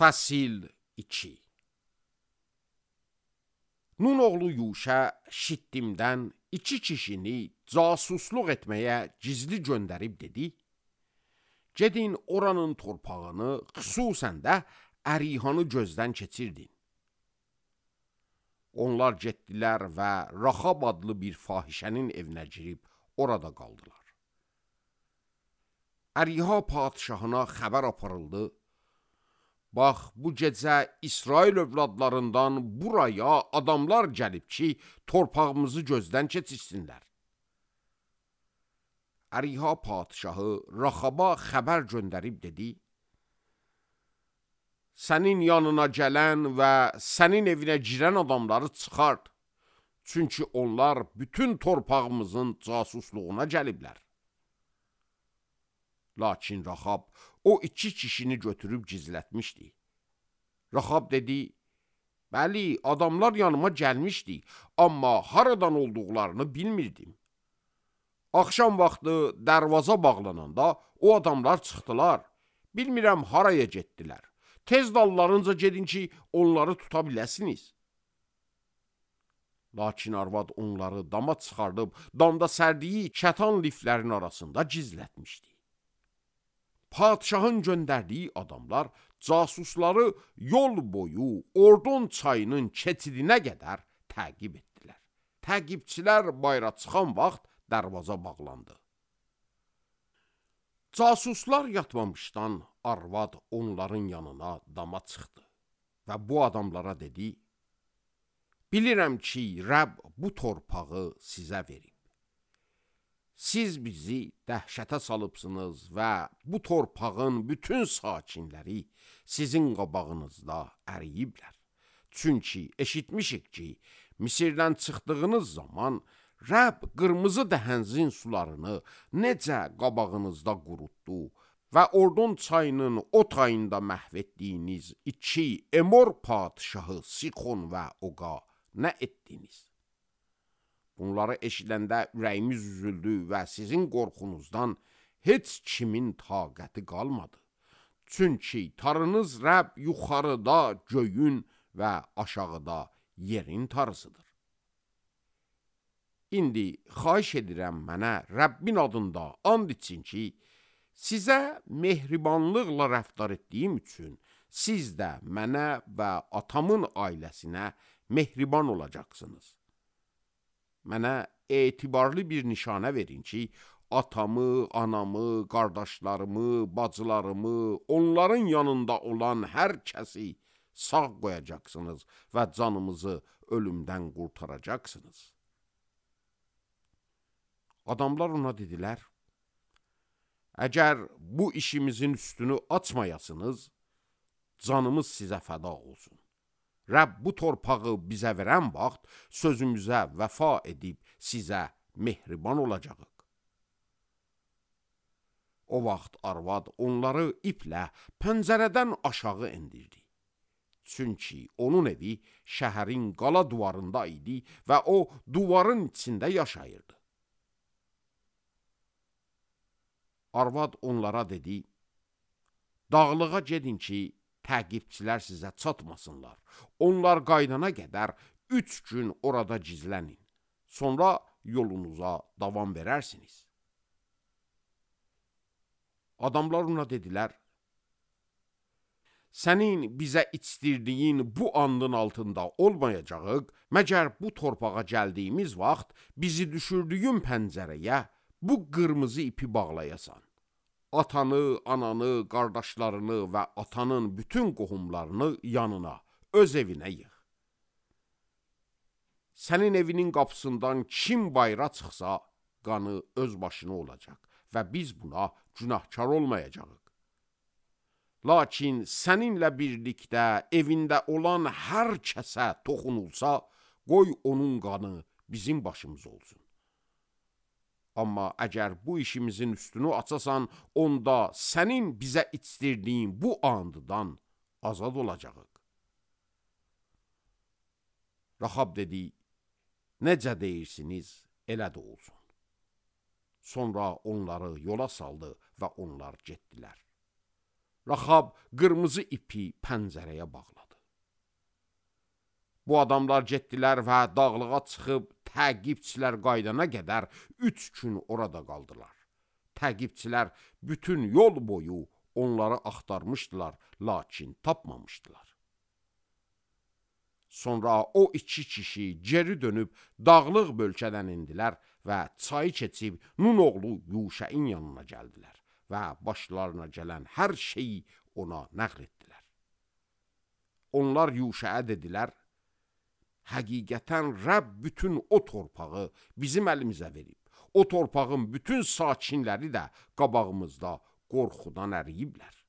Fəsil 2. Nun oğlu Yuşa Şittimdən 2 kişini casusluq etməyə gizli göndərib dedi: gedin oranın torpağını, xüsusən də Ərihanı gözdən keçirdin. Onlar getdilər və Raxab adlı bir fahişənin evinə girib orada qaldılar. Əriha padişahına xəbər aparıldı: bax, bu gecə İsrail övladlarından buraya adamlar gəlib ki, torpağımızı gözdən keçirsinlər. Əriha padişahı Raxaba xəbər göndərib dedi: sənin yanına gələn və sənin evinə girən adamları çıxart. Çünki onlar bütün torpağımızın casusluğuna gəliblər. Lakin Raxab o 2 kişini götürüb gizlətmişdi. Raxab dedi: bəli, adamlar yanıma gəlmişdi, amma haradan olduqlarını bilmirdim. Axşam vaxtı dərvaza bağlananda o adamlar çıxdılar. Bilmirəm haraya getdilər. Tez dallarınca gedin ki, onları tuta biləsiniz. Lakin arvad onları dama çıxardıb, damda sərdiyi kətan liflərin arasında gizlətmişdi. Padişahın göndərdiyi adamlar casusları yol boyu Ordon çayının keçidinə qədər təqib etdilər. Təqibçilər bayra çıxan vaxt dərvaza bağlandı. Casuslar yatmamışdan arvad onların yanına dama çıxdı və bu adamlara dedi: bilirəm ki, Rəbb bu torpağı sizə verib. Siz bizi dəhşətə salıbsınız və bu torpağın bütün sakinləri sizin qabağınızda əriyiblər. Çünki eşitmişik ki, Misirdən çıxdığınız zaman Rəbb qırmızı dəhənzin sularını necə qabağınızda qurutdu və Ordon çayının o tayında məhv etdiyiniz 2 Emor padişahı Sixon və Oqa nə etdiniz? Bunları eşidəndə ürəyimiz üzüldü və sizin qorxunuzdan heç kimin taqəti qalmadı. Çünki tarınız Rəbb yuxarıda göyün və aşağıda yerin tarısıdır. İndi xahiş edirəm mənə Rəbbin adında and için ki, sizə mehribanlıqla rəftar etdiyim üçün siz də mənə və atamın ailəsinə mehriban olacaqsınız. Mənə etibarlı bir nişanə verin ki, atamı, anamı, qardaşlarımı, bacılarımı, onların yanında olan hər kəsi sağ qoyacaqsınız və canımızı ölümdən qurtaracaqsınız. Adamlar ona dedilər: əgər bu işimizin üstünü açmayasınız, canımız sizə fəda olsun. Rəbb bu torpağı bizə verən vaxt sözümüzə vəfa edib sizə mehriban olacağıq. O vaxt arvad onları iplə pəncərədən aşağı endirdi. Çünki onun evi şəhərin qala duvarında idi və o duvarın içində yaşayırdı. Arvad onlara dedi: dağlığa gedin ki, təqibçilər sizə çatmasınlar. Onlar qaydana qədər 3 gün orada gizlənin. Sonra yolunuza davam verərsiniz. Adamlar ona dedilər: sənin bizə içdirdiyin bu andın altında olmayacağıq, məgər bu torpağa gəldiyimiz vaxt bizi düşürdüyün pəncərəyə bu qırmızı ipi bağlayasan. Atanı, ananı, qardaşlarını və atanın bütün qohumlarını yanına, öz evinə yığ. Sənin evinin qapısından kim bayra çıxsa, qanı öz başına olacaq və biz buna günahkar olmayacağıq. Lakin səninlə birlikdə evində olan hər kəsə toxunulsa, qoy onun qanı bizim başımız olsun. Amma əgər bu işimizin üstünü açasan, onda sənin bizə içdirdiyin bu andıdan azad olacağıq. Raxab dedi: necə deyirsiniz, elə də olsun. Sonra onları yola saldı və onlar getdilər. Rahab qırmızı ipi pəncərəyə bağladı. Bu adamlar getdilər və dağlığa çıxıb təqibçilər qaydana qədər 3 gün orada qaldılar. Təqibçilər bütün yol boyu onları axtarmışdılar, lakin tapmamışdılar. Sonra o 2 kişi geri dönüb dağlıq bölgədən indilər və çayı keçib Nun oğlu Yuşəin yanına gəldilər və başlarına gələn hər şeyi ona nəql etdilər. Onlar Yuşəyə dedilər, həqiqətən Rəbb bütün o torpağı bizim əlimizə verib. O torpağın bütün sakinləri də qabağımızda qorxudan əriyiblər.